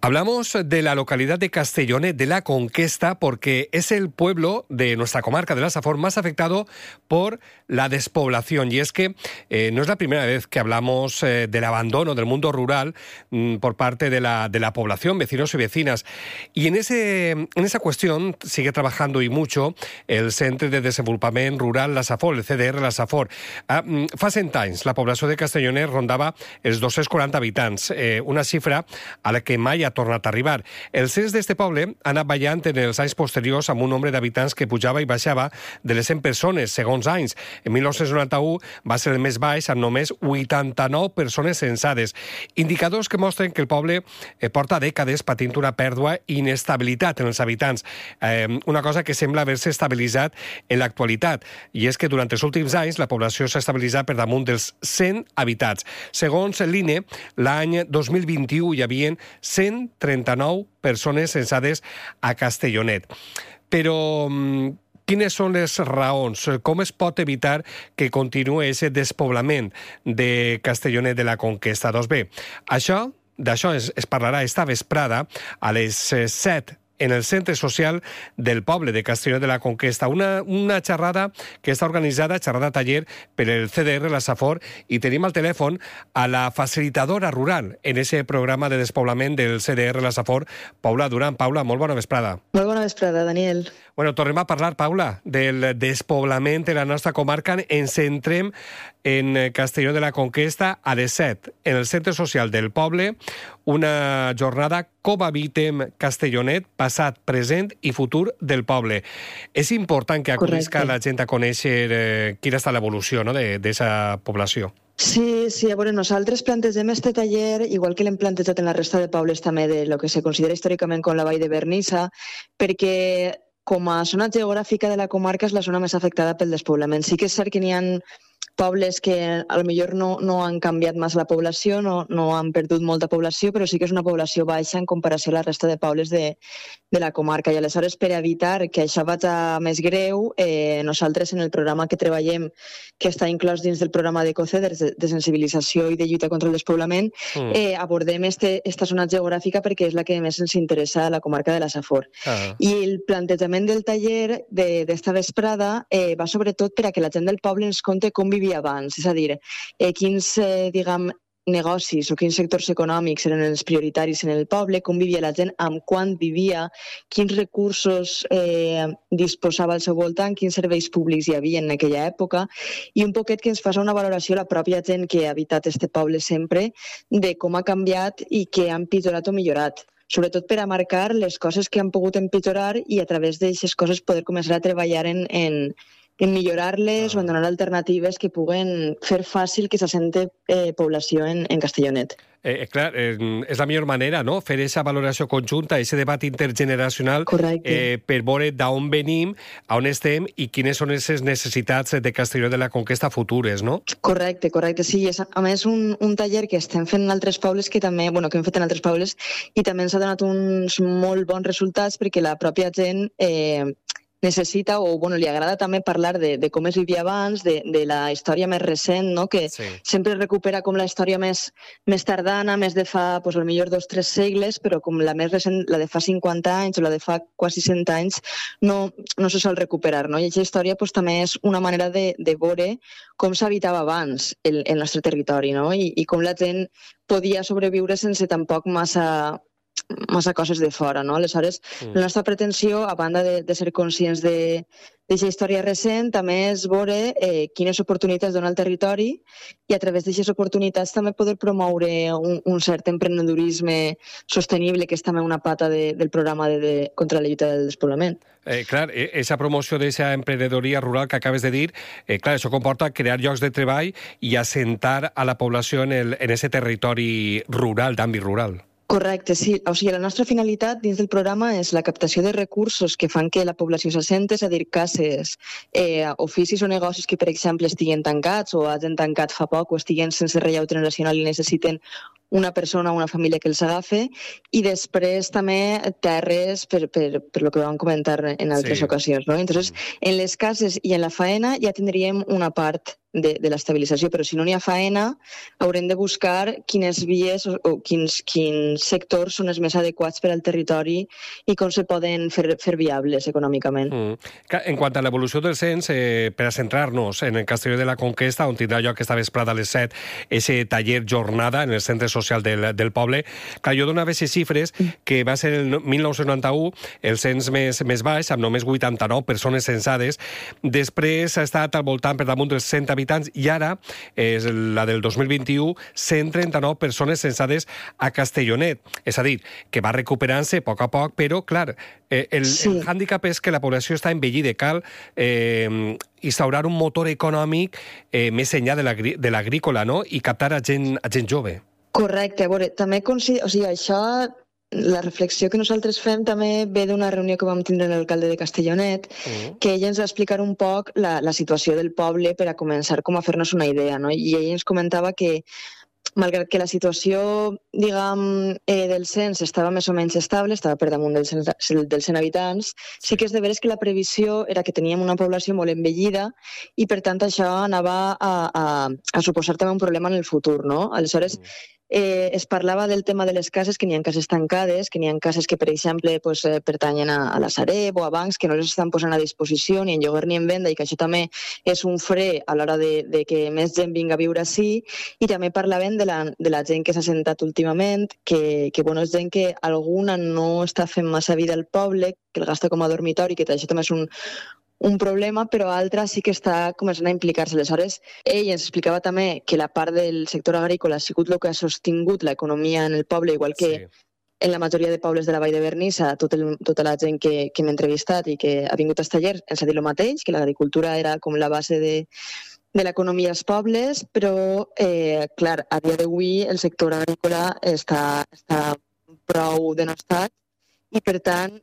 Hablamos de la localidad de Castellonet de la Conquesta porque es el pueblo de nuestra comarca de la Safor más afectado por la despoblación. Y es que no es la primera vez que hablamos del abandono del mundo rural por parte de la población, vecinos y vecinas. Y en esa cuestión sigue trabajando y mucho el Centre de Desenvolupament Rural La Safor, el CDR La Safor. Fa 100 anys la població de Castellonet rondava els 240 habitants, una xifra a la que mai ha tornat a arribar. El cens d'este poble ha anat ballant en els anys posteriors amb un nombre d'habitants que pujava i baixava de les 100 persones, segons anys. En 1991 va ser el més baix amb només 89 persones censades. Indicadors que mostren que el poble porta dècades patint una pèrdua i inestabilitat en els habitants. Una cosa que sembla haver-se estabilitzat en l'actualitat. I és que durant els últims anys la població s'ha estabilitzat per damunt dels 100 habitats. Segons l'INE, l'any 2021 hi havia 139 persones censades a Castellonet. Però quines són les raons? Com es pot evitar que continuï aquest despoblament de Castellonet de la Conquesta? Doncs bé, d'això es parlarà esta vesprada a les 7 en el centre social del poble de Castellonet de la Conquesta. Una xerrada que està organitzada, xerrada taller, per el CDR La Safor, i tenim al telèfon a la facilitadora rural en aquest programa de despoblament del CDR La Safor, Paula Duran. Paula, molt bona vesprada. Molt bona vesprada, Daniel. Bueno, tornem a parlar, Paula, del despoblament de la nostra comarca. Ens centrem en Castelló de la Conquesta a les 7, en el centre social del poble, una jornada com habitem Castellonet, passat, present i futur del poble. És important que acudisca la gent a conèixer quina està l'evolució, no?, d'aquesta població. Sí, a veure, nosaltres plantegem este taller, igual que l'hem plantejat en la resta de pobles també de lo que se considera històricament com la Vall de Vernissa, perquè com a zona geogràfica de la comarca és la zona més afectada pel despoblament. Sí que és cert que n'hi ha pobles que potser no han canviat massa la població, no han perdut molta població, però sí que és una població baixa en comparació a la resta de pobles de la comarca. I aleshores, per evitar que això vagi més greu, nosaltres en el programa que treballem, que està inclòs dins del programa d'Ecoceders de sensibilització i de lluita contra el despoblament, abordem esta zona geogràfica perquè és la que més ens interessa a la comarca de la Safor. I el plantejament del taller d'esta vesprada va sobretot per a que la gent del poble ens conti com vivia abans, és a dir, quins, negocis o quins sectors econòmics eren els prioritaris en el poble, com vivia la gent, amb quant vivia, quins recursos disposava al seu voltant, quins serveis públics hi havia en aquella època, i un poquet que ens faci una valoració la pròpia gent que ha habitat este poble sempre, de com ha canviat i què ha empitjorat o millorat. Sobretot per a marcar les coses que han pogut empitjorar i a través d'aquestes coses poder començar a treballar en millorar-les o en donar alternatives que puguen fer fàcil que se sente població en Castellonet. Clar, és la millor manera, no?, fer aquesta valoració conjunta, aquest debat intergeneracional, per veure d'on venim, on estem i quines són les necessitats de Castelló de la Conquesta futures, no? Correcte, sí. És, a més, un taller que estem fent en altres pobles que també, que hem fet en altres pobles i també ens ha donat uns molt bons resultats perquè la pròpia gent necessita o li agrada també parlar de com es vivia abans, de la història més recent, no? Que sempre recupera com la història més tardana, més de fa, potser 2-3 segles, però com la més recent, la de fa 50 anys o la de fa quasi 100 anys, no se sol recuperar, no? I aquesta història també és una manera de veure com s'habitava abans el nostre territori, no? I com la gent podia sobreviure sense tampoc massa coses de fora, no? Aleshores, la nostra pretensió, a banda de ser conscients d'aquesta història recent, també és veure quines oportunitats dona el territori i a través d'aquestes oportunitats també poder promoure un cert emprenedorisme sostenible, que és també una pata del programa contra la lluita del despoblament. Clar, aquesta promoció d'aquesta emprenedoria rural que acabes de dir, clar, això comporta crear llocs de treball i assentar a la població en aquest territori rural, d'àmbit rural. Correcte, sí. O sigui, la nostra finalitat dins del programa és la captació de recursos que fan que la població s'assente, és a dir, cases, oficis o negocis que, per exemple, estiguen tancats o hagin tancat fa poc o estiguen sense relleu generacional i necessiten una persona o una família que els agafa, i després també terres per lo que vam comentar en altres ocasions, no? Entonces, en les cases i en la faena ja tindríem una part de l'estabilització, però si no n'hi ha faena, haurem de buscar quines vies o quins sectors són els més adequats per al territori i com se poden fer viables econòmicament. En quant a l'evolució del cens, per a centrar-nos en el Castelló de la Conquesta, on tindrà lloc aquesta vesprada a les 7 ese taller jornada en el centre social del poble, clar, jo donava aquestes xifres que va ser el 1991 el cens més baix, amb només 89 persones censades, després ha estat al voltant per damunt dels 100 habitants, i ara, és la del 2021, 139 persones censades a Castellonet. És a dir, que va recuperant-se a poc, però, clar, el hàndicap és que la població està envellida. Cal instaurar un motor econòmic més enllà de l'agrícola, no?, i captar a gent jove. Correcte. A veure, també això... La reflexió que nosaltres fem també ve d'una reunió que vam tindre amb l'alcalde de Castellonet, que ell ens va explicar un poc la situació del poble per a començar com a fer-nos una idea, no? I ell ens comentava que, malgrat que la situació, diguem, del cens estava més o menys estable, estava per damunt dels 100 habitants, sí que és de veres que la previsió era que teníem una població molt envellida i, per tant, això anava a suposar també un problema en el futur, no? Aleshores, es parlava del tema de les cases, que n'hi ha cases tancades, que n'hi ha cases que, per exemple, pertanyen a la Sareb o a bancs que no les estan posant a disposició ni en lloguer ni en venda, i que això també és un fre a l'hora de que més gent vinga a viure així. I també parlaven de la gent que s'ha assentat últimament, que bueno, és gent que alguna no està fent massa vida al poble, que el gasta com a dormitori, que això també és un problema, però altra sí que està començant a implicar-se. Aleshores, ell ens explicava també que la part del sector agrícola ha sigut el que ha sostingut l'economia en el poble, igual que en la majoria de pobles de la Vall de Vernissa, tota la gent que hem entrevistat i que ha vingut als tallers ens ha dit el mateix, que l'agricultura era com la base de l'economia als pobles, però, clar, a dia d'avui el sector agrícola està prou denostat i, per tant,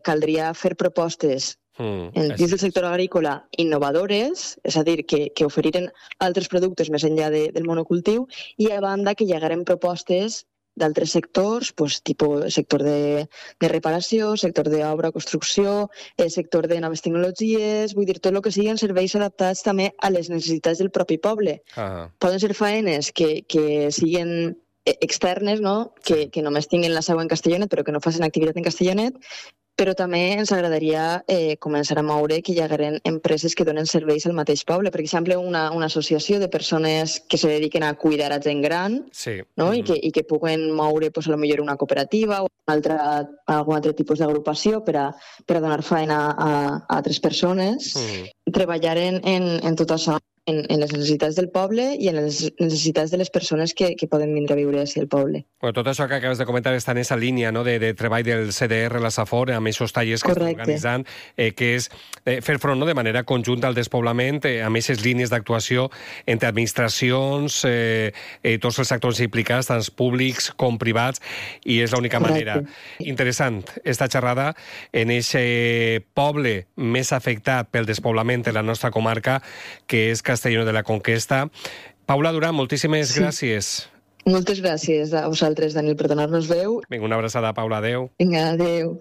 caldria fer propostes dins del sector agrícola innovadores, és a dir, que oferiren altres productes més enllà del monocultiu, i a banda que llegaren propostes d'altres sectors, tipus sector de reparació, sector d'obra, construcció, sector de noves tecnologies, vull dir, tot el que siguin serveis adaptats també a les necessitats del propi poble. Poden ser faenes que siguin externes, no?, que només tinguin la seu en Castellonet, però que no facin activitat en Castellonet, però també ens agradaria començar a moure que hi hagueren empreses que donen serveis al mateix poble. Per exemple, una associació de persones que se dediquen a cuidar a gent gran, no? I que puguen moure potser una cooperativa o algun altre tipus d'agrupació per a donar feina a altres persones. Treballar en tot això, en les necessitats del poble i en les necessitats de les persones que poden vindre a viure així al poble. Tot això que acabes de comentar està en aquesta línia, no?, de treball del CDR, la Safor, amb aquests tallers que estan organitzant, que és fer front, no?, de manera conjunta al despoblament, amb aquestes línies d'actuació entre administracions, tots els actors implicats, tant públics com privats, i és l'única manera. Interessant, esta xerrada en aquest poble més afectat pel despoblament de la nostra comarca, que és Castelló de la Conquesta. Paula Duran, moltíssimes gràcies. Moltes gràcies a vosaltres, Daniel, per donar-nos veu. Vinga, una abraçada, Paula. Adéu. Vinga, adéu.